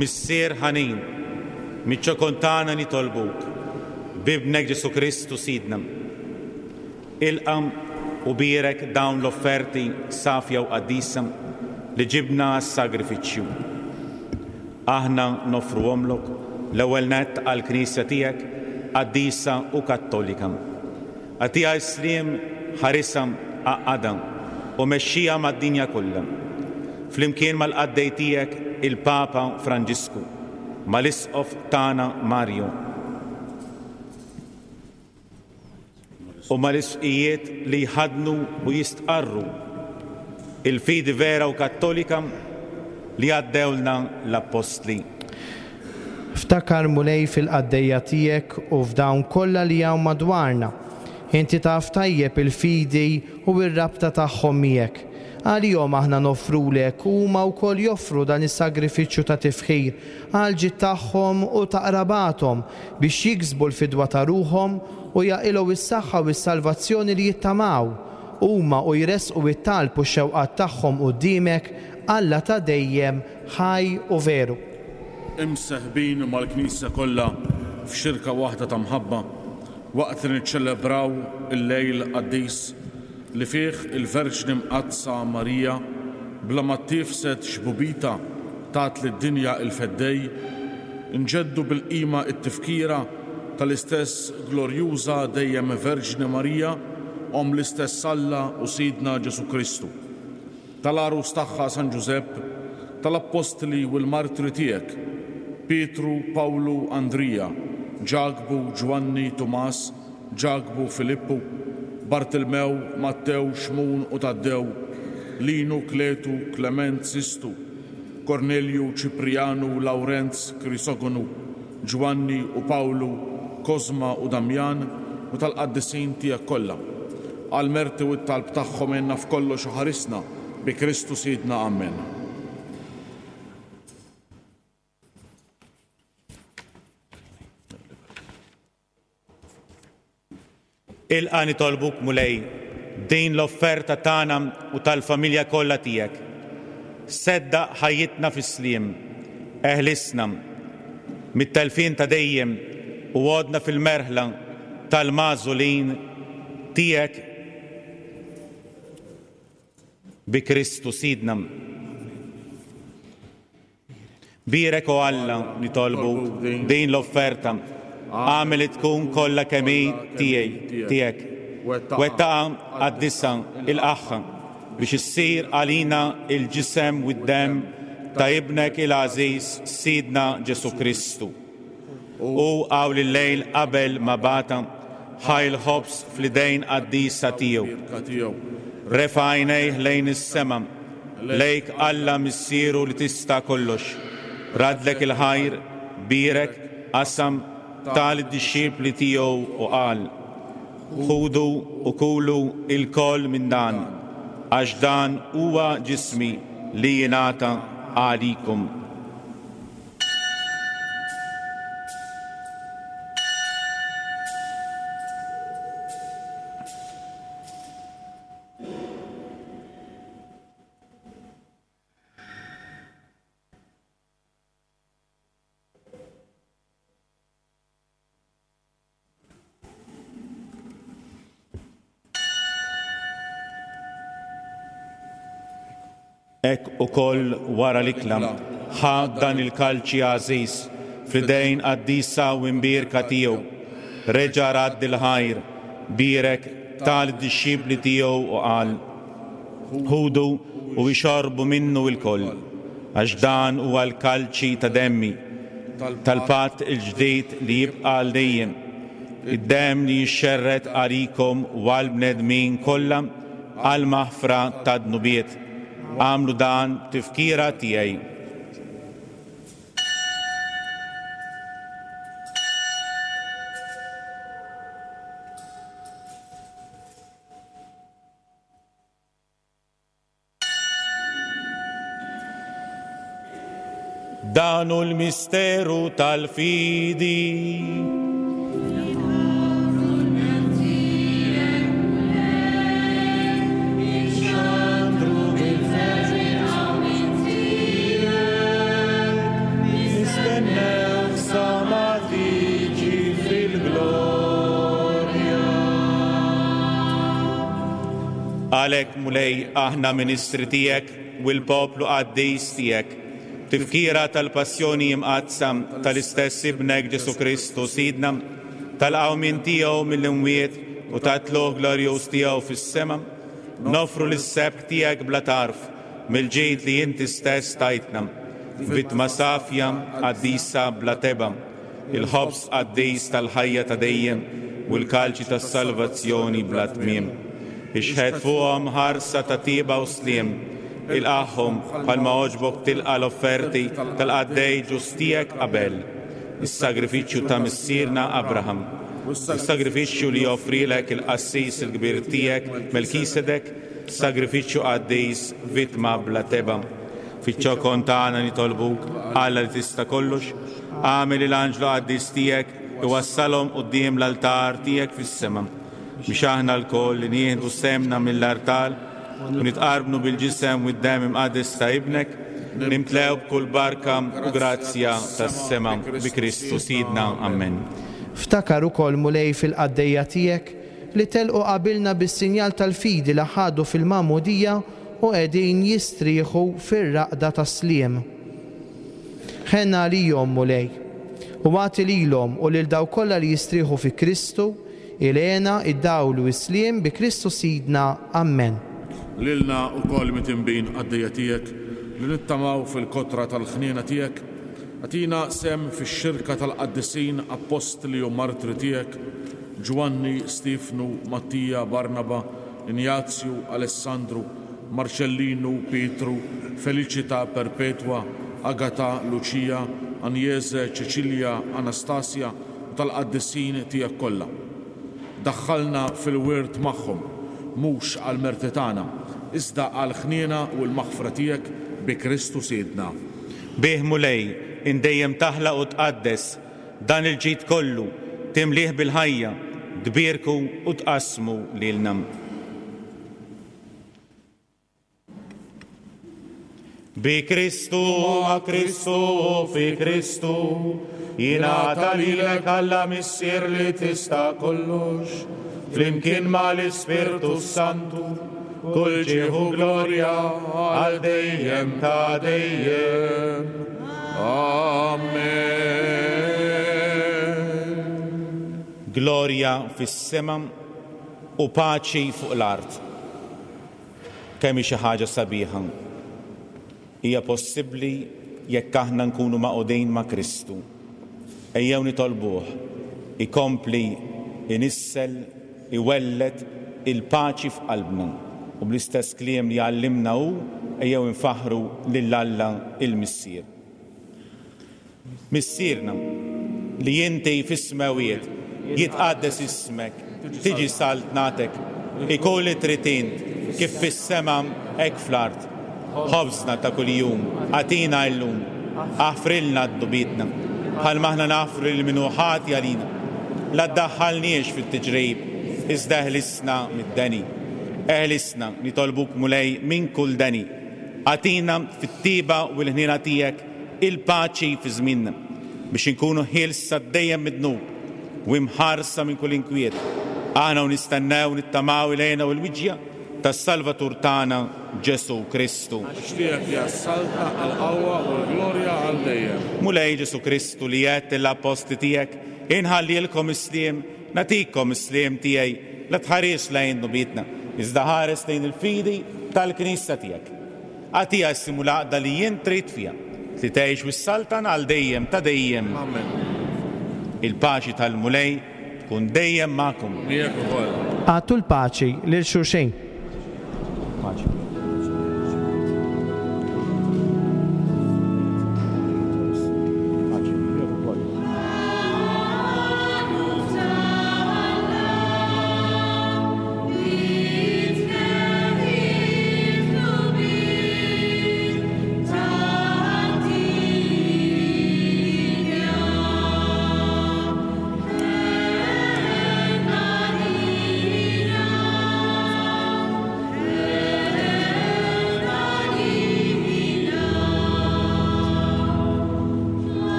Missier ħanin, miċ-ċokon tagħna nitolbuk, b'ibnek Ġesù Kristu Sidna. Ilqa' u bierek dawn l-offerti safja u qaddisa li ġibna għas-sagrifiċċju. Aħna nofruhomlok l-ewwel nett għall-Knisja tiegħek qaddisa u kattolika. Agħtiha s-sliem, ħarisha, għaqqadha u mexxija mad-dinja kollha. Flimkien mal-qaddej tiegħek il-Papa Franġisku, mal-Isqof tagħna Mario u mal-isqijiet li jħaddnu u jistqarru il-fidi vera u kattolika li għaddewlna l-Appostli. Ftakar Mulej fil-qaddejja tiegħek u f'dawn kollha li hawn madwarna. Inti taf tajjeb il-fidi u r-rabta tagħhom miegħek. Għalihom aħna noffrulek u huma wkoll joffru dan is-sagrifiċċju ta' tifħir għal ġid tagħhom u ta' qrabathom biex jiksbu l-fidwa ta' ruħhom u jaqilgħu s-saħħa u s-salvazzjoni li jittamaw. Huma u jresqu it-talb u x-xewqat tagħhom quddiemek, Alla ta' dejjem ħaj u veru. Imseħbin mal-Knisja kollha f'xirka waħda ta' mħabba waqt li niċċelebraw il-lejl qaddis li fih il-Verġni Mqaddsa Marija bla ma tifsed xbubita tat lid-dinja il-Feddej, nġeddu bil-qima t-tifkira tal-istess glorjuża dejjem Verġni Marija, om l-istess Alla u Sidna Ġesù Kristu, tal-għarus tagħha San Ġużepp, tal-Appostli u l-martri tiegħek, Pietru, Pawlu, Andrija, Ġakbu, Ġwanni, Tumas, Ġakbu, Filippu, Bartilmew, Mattew, Xmun u Taddew, Linu, Kletu, Klement, Sistu, Kornelju, Ċiprianu, Lawrenz, Krisogonu, Ġwanni u Pawlu, Kozma u Damjan u tal-qaddisin tiegħek kollha. Għall-merti u t-talb tagħhom għinna f'kollox u ħarisna bi Kristu Sidna. Amen. Ilqa' nitolbuk, Mulej, din l-offerta tagħna u tal-familja kollha tiegħek. Seddaq ħajjitna fis-sliem, eħlisna mit-telfien ta' dejjem u għodna fil-merħla tal-magħżulin tiegħek bi Kristu Sidna. Bierek, o Alla, nitolbu din l-offerta, għamel li tkun kollha kemm hi tiegħi tiegħek. Wettaqha, qaddisha, ilqagħha biex issir għalina il-ġisem u d-demm ta' ibnek il-għażiż Sidna Ġesù Kristu. U hawn il-lejl qabel ma bata ħa l-ħobż fl-idejn qaddisa tiegħu. Refa' għajnejh lejn is-sema, lejk Alla Missieru li tista' kollox. Radlek il-ħajr, bierek, qasam, ta lid-dixxipli tiegħu u qal: Ħudu u kulu lkoll minn dan, għax dan huwa ġismi li jingħata għalikom. Hekk ukoll wara l-ikla ħa dan il-kalċi għażiż fl-idejn qaddisa u imbierka tiegħu. Reġa' radd il-ħajr, bierek, ta lid-dixxipli tiegħu u qal: Ħudu u ixorbu minnu lkoll, għax dan huwa l-kalċi ta' demmi, tal-patt il-ġdid li jibqa' għal dejjem, id-demm li jixxerred għalikom u għall-bnedmin kollha għall-maħfra ta' dnubiet. Għamlu dan tifkira tiegħi. Dan hu l-misteru tal-fidi. Għalhekk, Mulej, aħna ministri tiegħek u l-poplu qaddis tiegħek, tifkira tal-passjoni imqaddsa tal-istess ibnek Ġesù Kristu Sidna, tal-qawmien tiegħu mill-imwiet u tat-tlugħ glorjuż tiegħu fis-sema, nofru lis-sebħ tiegħek bla tarf mill-ġid li inti stess tajtna, vittma safja qaddisa bla teba, il-ħobż qaddis tal-ħajja ta' dejjem u l-kalċi tas-salvazzjoni bla tmiem. Ixħet fuqhom ħarsa ta' tieba u sliem, ilqagħhom bħalma għoġbok tilqa' l-offerti tal-qaddej ġust tiegħek Abel, is-sagrifiċċju ta' missierna Abraham, is-sagrifiċċju li joffrilek il-qassis il-kbir tiegħek Melkisedek, sagrifiċċju qaddis, vittma bla teba. Fiċ-ċokon tagħna nitolbuk, Alla li tista' kollox, agħmel il-anġlu qaddis tiegħek iwassalhom quddiem l-altar tiegħek fis-sema, biex aħna lkoll li nieħdu semna mill-artal u nitqarbnu bil-ġisem u d-demm imqaddes ta' ibnek, nimtlew b'kull barka u grazzja tas-sema bi Kristu Sidna. Amen. Ftakar ukoll, Mulej, fil-qaddejja tiegħek li telqu qabilna bis-sinjal tal-fidi li ħadu fil-magħmudija u qegħdin jistrieħu fir-raqda tas-sliem. Ħenna għalihom, Mulej, u agħti lilhom u lil dawk kollha li jistrieħu fi Kristu il-hena, id-dawl u s-sliem bi Kristu Sidna. Amen. Lilna wkoll mitinbin qaddejja tiegħek li nittamaw fil-kotra tal-ħniena tiegħek, agħtina sem fix-xirka tal-qaddisin appostli u martri tiegħek, Ġwanni, Stefnu, Mattija, Barnaba, Injazju, Alessandru, Marcellinu, Pietru, Felicita, Perpetua, Agata, Lucia, Anjeze, Ċeċilja, Anastasia u tal-qaddisin tiegħek kollha. Daħħalna fil-wirt magħhom mhux għall-merti tagħna, iżda għall-ħniena u l-maħfra tiegħek bi Kristu Sidna. Bih Mulej, indejjem taħlaq u tqaddes dan il-ġid kollu, timlih bil-ħajja, tbierku u tqassmu lilna. Bi Kristu, ma' Kristu, fi Kristu, jingħata lilek Alla Missier li tista' kollox, flimkien mal-Ispirtu Santu, kull ġieħ u glorja għal dejjem ta' dejjem. Amen. Glorja fis-sema u paċi fuq l-art. Kemm hi xi ħaġa sabiħa. Hija possibbli jekk aħna nkunu maqudin ma' Kristu. Ejjew nitolbuh ikompli inissel, iwelled il-paċi f'qalbna. U bl-istess kliem li għallimna hu, ejjew infaħħru lil Alla il-Missier. Missierna, li inti fis-smewiet, jitqaddes ismek, tiġi saltnatek, ikun li trid int, kif fis-sema hekk fl-art. Ħobżna ta' kuljum, agħtina llum, aħfrilna dnubietna, bħalma aħna naħfru lil min hu ħati għalina. La ddaħħalniex fit-tiġrib, iżda eħlisna mid-deni. Eħlisna, nitolbuk Mulej, minn kull deni. Agħtina fit-tiba u l-ħniena tiegħek il-paċi fi żmienna, biex inkunu ħielsa dejjem mid-dnub u imħarsa minn kull inkwiet. Aħna u nistennew nittamaw ilejna u l-wiġja tas-Salvatur tagħna Ġesu Kristu. Għax tiegħek hija s-saltna, l-qawwa u l-glorja għal dejjem. Mulej Ġesu Kristu li għedt lill-appostli tiegħek, inħallilkom is-sliem, nagħtikom is-sliem tiegħi, la tħares lejn dnubietna, iżda ħares lejn il-fidi tal-Knisja tiegħek. Agħtiha s-sliem u l-għaqda li jien trid fiha, li tgħix u s-saltan għal dejjem ta' dejjem. Amen. Il-paċi tal-Mulej tkun dejjem magħkom. Miegħek ukoll. Agħtu l-paċi lil xulxin. Paċi.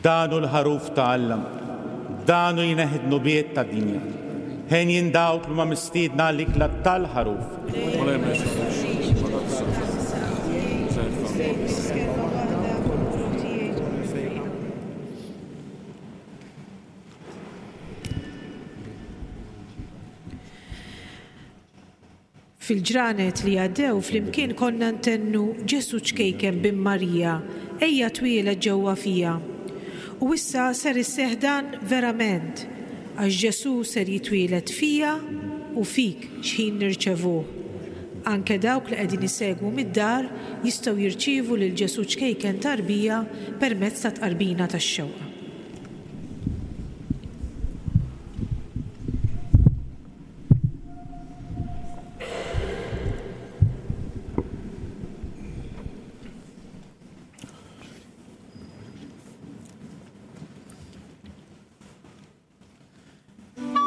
Dan hu l-ħaruf ta' Alla, dan hu jneħħi d-dnubiet tad-dinja. Ħenjin dawk li huma mistiedna għall-ikla tal-ħaruf. Fil-ġranet li għaddew flimkien konna ntennu Ġesu ċkejken bin Marija, ejja twieled ġewwa fija. U issa ser isseħħ dan verament, għax Ġesu ser jitwieled fija u fik x'ħin nirċevuh. Anke dawk li qegħdin isegwu mid-dar jistgħu jirċievu lil Ġesu ċkejken tarbija permezz ta' tqarbina tax-xewqa. Thank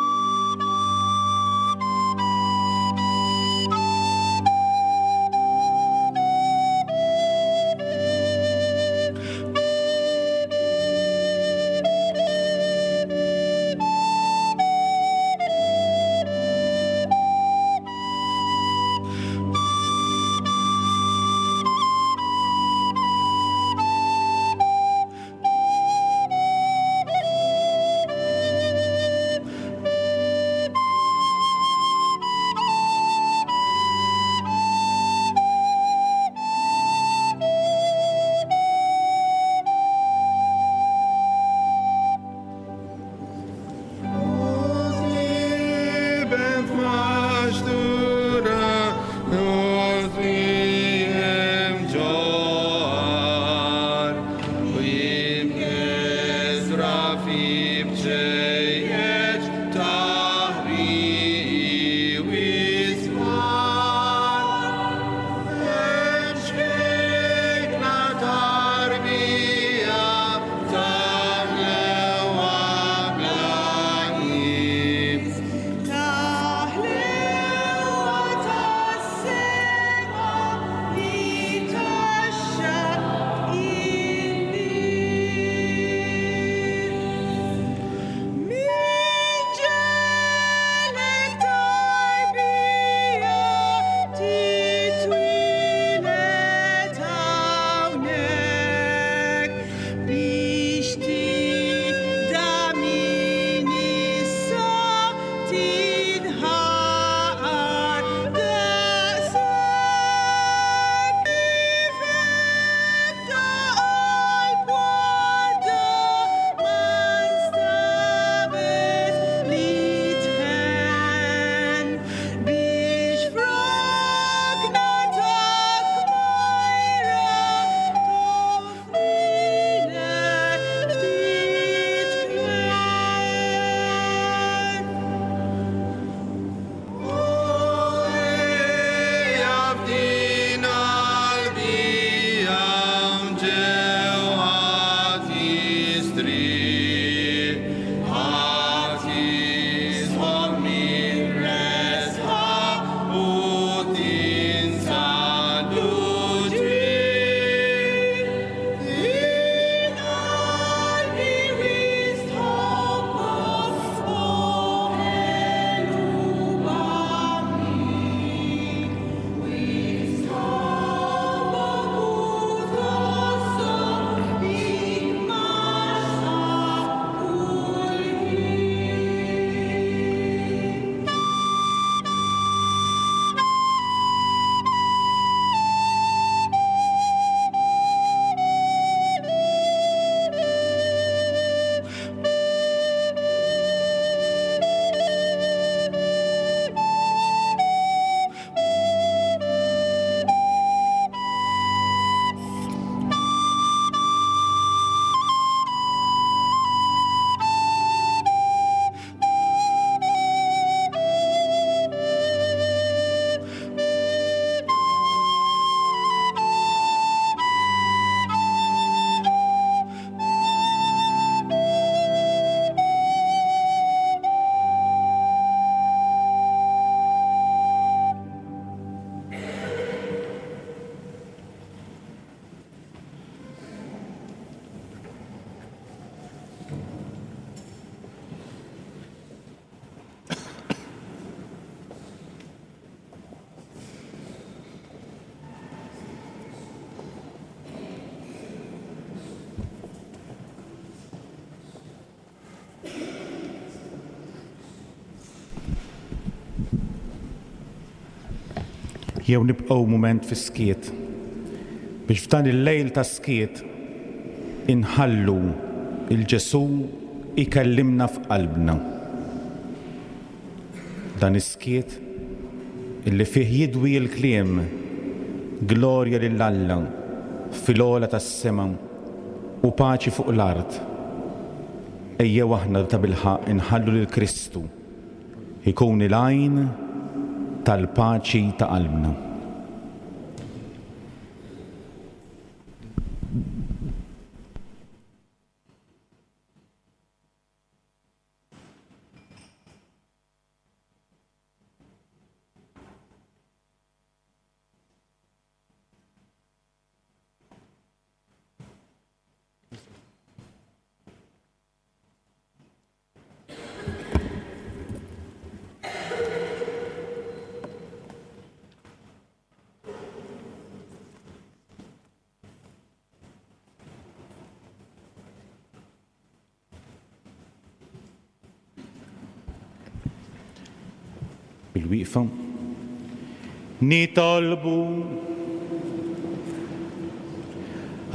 Jew nibqgħu mument fis-skiet biex f'dan il-lejl ta' skiet inħallu 'l Ġesù ikellimna f'qalbna. Dan is-skiet illi fih jidwi l-kliem glorja lil Alla fil-ogħla tas-sema u paċi fuq l-art. Ejjew aħna tabilħaqq inħallu lil Kristu ikun il-għajn tal-paċi ta' qalbna. Bil-wieqfa. Nitolbu.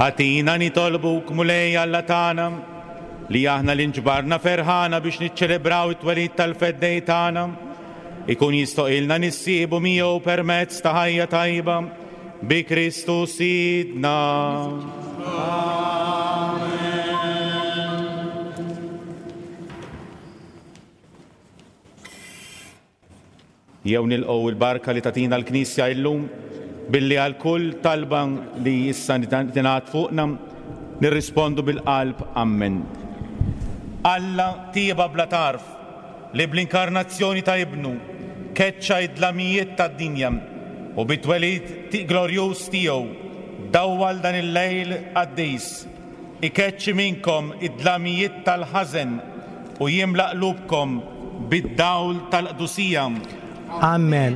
Agħtina nitolbuk, Mulej Alla tagħna, li aħna li nġbarna ferħana biex niċċelebraw it-twelid tal-Feddej tagħna, ikun jistoqilna nissieħbu miegħu permezz ta' ħajja tajba bi Kristu Sidna. Amen. Jew nilqgħu il-barka li tagħtina l-Knisja illum billi għal kull talba li issa tingħad fuqna nirrispondu bil-qalb Amen. Alla tieba bla tarf li bl-inkarnazzjoni ta' ibnu keċċa id-dlamijiet tad-dinja u bit-twelid glorjuż tiegħu dawwal dan il-lejl qaddis, ikeċċi minnkom id-dlamijiet tal-ħażen u jimla qlubkom bid-dawl tal-qdusija. Amen.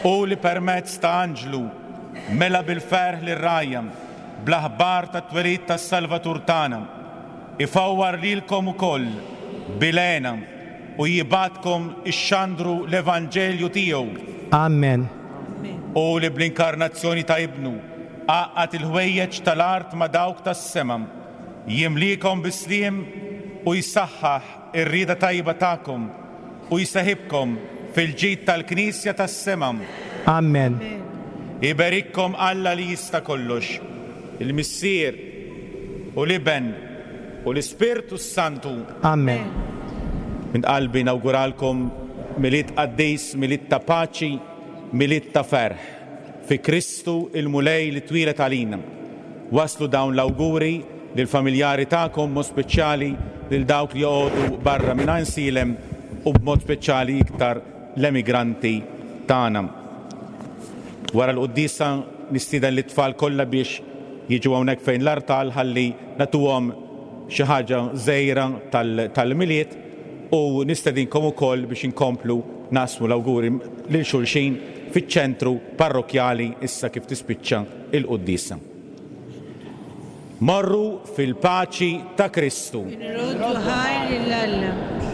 U li permezz ta' anġlu mela bil-ferħ lir-rgħajja bl-aħbar tat-twelid tas-Salvatur tagħna, ifawwar lilkom ukoll bil-hena u jibgħatkom ixxandru l-Evanġelju tiegħu. Amen. U li bl-inkarnazzjoni ta' ibnu għaqqad il-ħwejjeġ tal-art ma' dawk tas-sema, jimlikom bis-sliem u jsaħħaħ ir-rieda tajba tagħkom u jseħibkom fil-ġid tal-Knisja tas-sema. Amen. Iberikkom Alla li jista' kollox, il-Missier u l-Iben u l-Ispirtu s-Santu. Amen. Minn qalbi nawguralkom Milied qaddis, Milied ta' paċi, Milied ta' ferħ fi Kristu il-Mulej li twieled għalina. Waslu dawn l-awguri lill-familjari tagħkom, mod speċjali lil dawk li joqogħdu barra minn Għajnsielem u b'mod speċjali iktar l-emigranti tagħna. Wara l-quddiesa nistieden lit-tfal kollha biex jiġu hawnhekk fejn l-artal ħalli nagħtuhom xi ħaġa żgħira tal-Milied u nistedinkom ukoll biex inkomplu naqsmu l-awguri lil xulxin fiċ-ċentru parrokjali issa kif tispiċċa il-quddiesa. Morru fil-paċi ta' Kristu. Nroddu ħajr lil Alla.